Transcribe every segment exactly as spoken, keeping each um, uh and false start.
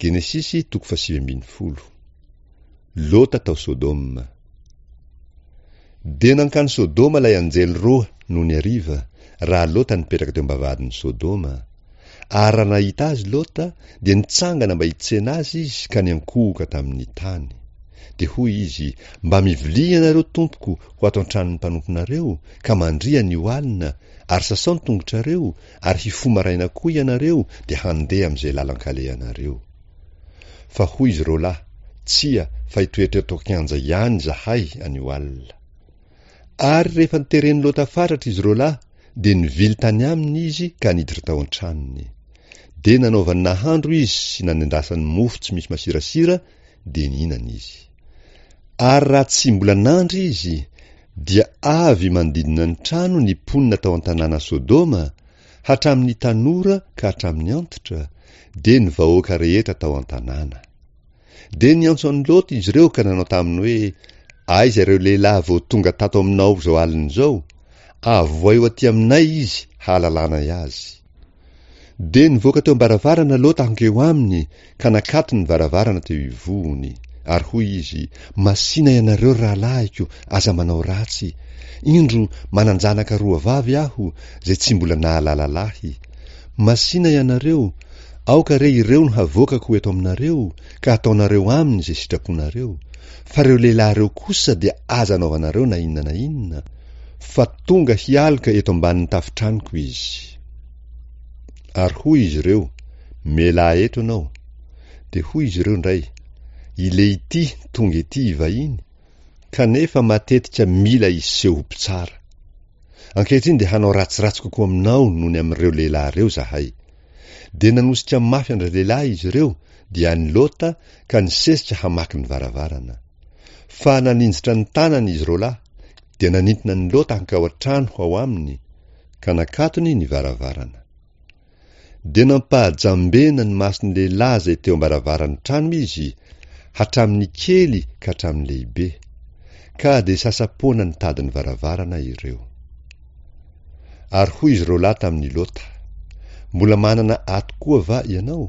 Genesisy toko fahasivy ambin'ny folo. Lota tao Sodoma. Dia nankany Sodoma ilay anjely roa nony hariva, raha Lota nipetraka teo am-bavahadin'i Sodoma. Ary raha nahita azy Lota, dia nitsangana mba hitsena azy izy ka niankohoka tamin'ny tany. Dia hoy izy, Mba mivilia ianareo, tompoko, ho ato an-tranon'ny mpanomponareo, ka mandria anio alina, ary sasao ny tongotrareo, ary hifoha maraina koa ianareo, dia handeha amin'izay lalan-kalehanareo. Fa hoy izy roa lahy, Tsia, fa hitoetra eto an-kianja ihany izahay anio alina. Ary rehefa noteren'i Lota fatratra izy roa lahy, dia nivily tany aminy izy ka niditra tao an-tranony. Dia nanaovany nahandro izy sy nanendasany mofo tsy misy masirasira, dia nihinana izy. Ary raha tsy mbola nandry izy, dia avy manodidina ny trano ny mponina tao an-tanàna Sodoma, hatramin'ny tanora ka hatramin'ny antitra, dia ny vahoaka rehetra tao an-tanàna. Dia niantso an'i Lota izy ireo ka nanao taminy hoe, Aiza ireo lehilahy vao tonga tato aminao izao alina izao? Avohay ho aty aminay izy hahalalanay azy. Dia nivoaka teo am-baravarana Lota hankeo aminy ka nakatony ny varavarana teo ivohony. Ary hoy izy, Masìna ianareo, ry rahalahiko, aza manao ratsy. Indro, manan-janaka roa vavy aho, izay tsy mbola nahalala lahy. Masìna ianareo, aoka re ireo no havoakako ho eto aminareo, ka hataonareo aminy izay sitraponareo. Fa ireo lehilahy ireo kosa dia aza anaovanareo na inona na inona, fa tonga hialoka eto ambanin'ny tafon-tranoko izy. Ary hoy izy ireo, Mialà eto ianao. Dia hoy izy ireo indray, Ilehity tonga ety hivahiny, kanefa matetika mila hiseho ho mpitsara. Ankehitriny dia hanao ratsiratsy kokoa aminao noho ny amin'ireo lehilahy ireo izahay. Dia nanosika mafy an-dralehilahy izy ireo, dia an'i Lota, ka nisesika hamaky ny varavarana. Fa naninjitra ny tanany izy roalahy, dia nanintona an'i Lota hankao an-trano ho ao aminy, ka nakatony ny varavarana. Dia nampahajambena ny mason'ny lehilahy izay teo am-baravaran'ny trano izy, hatramin'ny kely ka hatramin'ny lehibe. Ka dia sasa-poana nitady ny varavarana ireo. Ary hoy izy roalahy tamin'i Lota, Mbola manana ato koa va ianao?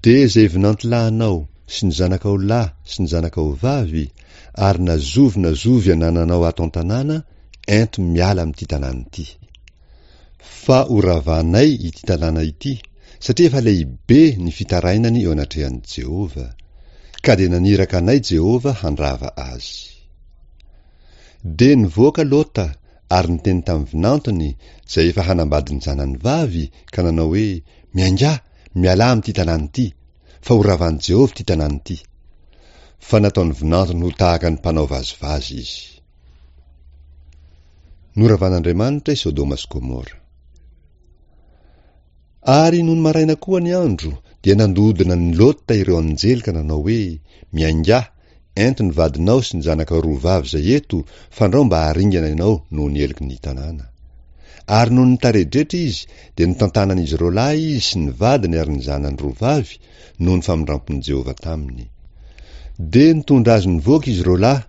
Dia izay vinantilahinao sy ny zanakao lahy sy ny zanakao vavy, ary na zovy na zovy anananao ato an-tanàna, ento miala amin'ity tanàna ity. Fa ho ravanay ity tanàna ity, satria efa lehibe ny fitarainany eo anatrehan'i Jehovah, ka dia naniraka anay Jehovah handrava azy. Dia nivoaka Lota ary niteny tamin'ny vinantony, izay efa hanambady ny zanany vavy, ka nanao hoe, Miaingà, mialà amin'ity tanàna ity, fa ho ravan'i Jehovah ity tanàna ity. Fa nataon'ny vinantony ho tahaka ny mpanao vazivazy izy. Noravan'Andriamanitra i Sodoma sy Gomora. Ary nony maraina koa ny andro, dia nandohodina an'i Lota ireo anjely ka nanao hoe, Miaingà, ento ny vadinao sy ny zanakao roa vavy izay eto, fandrao mba haringana ianao noho ny heloky ny tanàna. Ary nony nitaredretra izy, dia notantanan'izy roa lahy izy sy ny vadiny ary ny zanany roa vavy, noho ny famindrampon'i Jehovah taminy. Dia nitondra azy nivoaka izy roa lahy,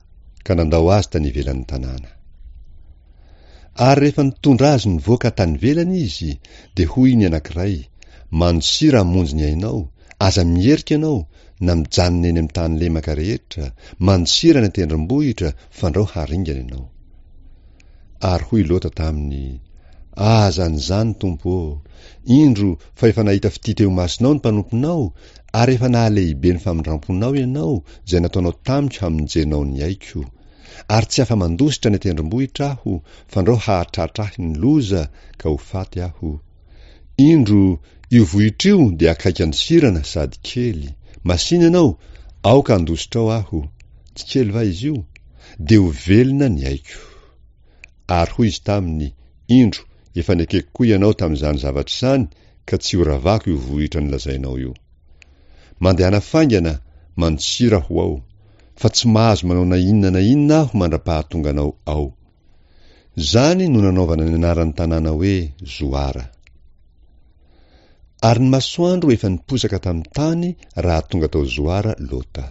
ka nandao azy tany ivelan'ny tanàna. Ary rehefa nitondra azy nivoaka tany ivelany izy, dia hoy ny anankiray, Mandosira hamonjy ny ainao, aza miherika ianao, na mijanona eny amin'ny tany lemaka rehetra, mandosira any an-tendrombohitra, fandrao haringana ianao. Ary hoy Lota taminy, Aza an'izany, Tompo ô! Indro, fa efa nahita fitia teo imasonao ny mpanomponao, ary efa nahalehibe ny famindramponao ianao, izay nataonao tamiko hamonjenao ny aiko. Ary tsy afa-mandositra any an-tendrombohitra aho, fandrao hahatratra ahy ny loza, ka ho faty aho. Indro, io vohitra io dia akaiky andosirana sady kely. Masìna ianao, aoka handositra ao aho. Tsy kely va izy io? Dia ho velona ny aiko. Ary hoy izy taminy, Indro, efa nekeko koa ianao tamin'izany zavatra izany, ka tsy horavako io vohitra nolazainao io. Mandehana faingana, mandosira ho ao, fa tsy mahazo manao na inona na inona aho mandra-pahatonganao ao. Izany no nanaovana ny anaran'ny tanàna hoe Zoara. Ary ny masoandro efa niposaka tamin'ny tany raha tonga tao Zoara Lota.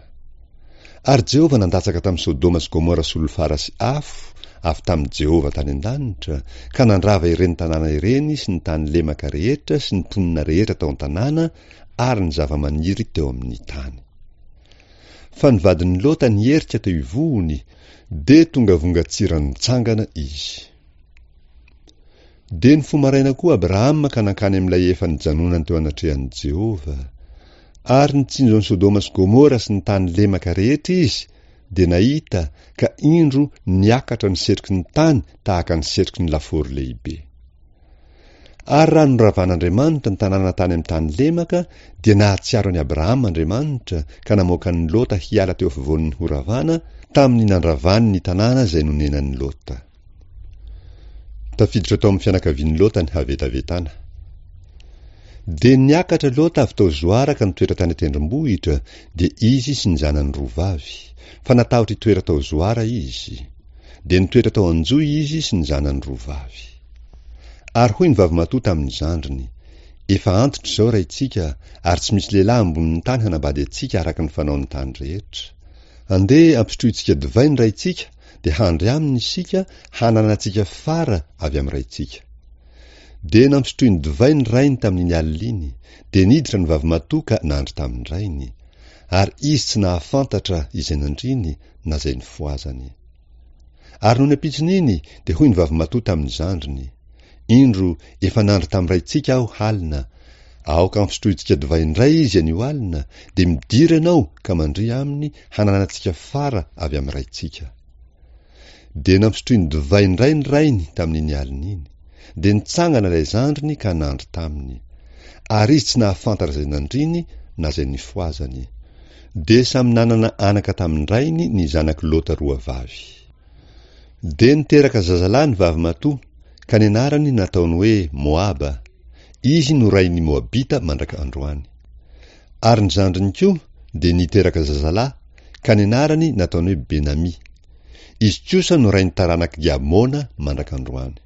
Ary Jehovah nandatsaka tamin'i Sodoma sy Gomora solifara sy afo avy tamin'i Jehovah tany an-danitra, ka nandrava ireny tanàna ireny sy ny tany lemaka rehetra sy ny mponina rehetra tao an-tanàna ary ny zava-maniry teo amin'ny tany. Fa ny vadin'i Lota niherika teo ivohony, dia tonga vongan-tsira nitsangana izy. Dia nifoha maraina koa Abrahama ka nankany amin'ilay efa nijanonany teo anatrehan'i Jehovah. Ary nitsinjo an'i Sodoma sy Gomora sy ny tany lemaka rehetra izy, dia nahita, ka indro niakatra ny setroky ny tany tahaka ny setroky ny lafaoro lehibe. Ary raha noravan'Andriamanitra ny tanàna tany amin'ny tany lemaka, dia nahatsiaro an'i Abrahama Andriamanitra ka namoaka an'i Lota hiala teo afovoan'ny horavana, tamin'ny nandravany ny tanàna izay nonenan'i Lota. Tafiditra tao amin'ny fianakavian'i Lota ny havetavetana. Dia niakatra Lota avy tao Zoara ka nitoetra tany an-tendrombohitra, dia izy sy ny zanany roa vavy, fa natahotra hitoetra tao Zoara izy. Dia nitoetra tao an-johy izy sy ny zanany roa vavy. Ary hoy ny vavimatoa tamin'ny zandriny, Efa antitra izao raintsika, ary tsy misy lehilahy ambonin'ny tany hanambady antsika araka ny fanaon'ny tany rehetra. Andeha ampisotrointsika divay ny raintsika, dia handry aminy isika, hananantsika fara avy amin'ny raintsika. Dia nampisotroiny divay ny rainy tamin'iny alina iny, dia niditra ny vavimatoa ka nandry tamin-drainy. Ary izy tsy nahafantatra izay nandriny na izay nifohazany. Ary nony ampitson'iny, dia hoy ny vavimatoa tamin'ny zandriny, Indro, efa nandry tamin'ny raintsika aho halina, aoka hampisotrointsika divay indray izy anio alina, dia midira ianao ka mandria aminy hananantsika fara avy amin'ny raintsika. Dia nampisotroiny divay indray ny rainy tamin'iny alina iny. Dia nitsangana ilay zandriny ka nandry taminy. Ary izy tsy nahafantatra izay nandriny na izay nifohazany. Dia samy nanana anaka tamin-drainy ny zanak'i Lota roa vavy. Dia niteraka zazalahy ny vavimatoa, ka ny anarany nataony hoe Moaba. Izy no rain'ny Moabita mandraka androany. Ary ny zandriny koa dia niteraka zazalahy, ka ny anarany nataony hoe Benami. Izy kosa no rain'ny taranak'i Amona mandraka androany.